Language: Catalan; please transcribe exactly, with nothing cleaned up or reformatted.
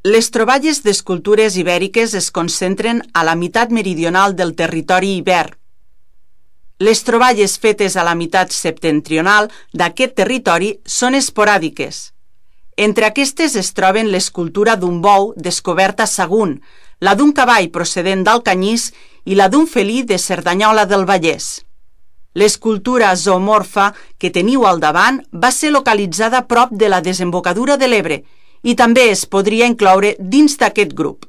Les troballes d'escultures ibèriques es concentren a la meitat meridional del territori ibèric. Les troballes fetes a la meitat septentrional d'aquest territori són esporàdiques. Entre aquestes es troben l'escultura d'un bou descoberta a Sagunt, la d'un cavall procedent d'Alcanyís i la d'un felí de Cerdanyola del Vallès. L'escultura zoomorfa que teniu al davant va ser localitzada prop de la desembocadura de l'Ebre i també es podria incloure dins d'aquest grup.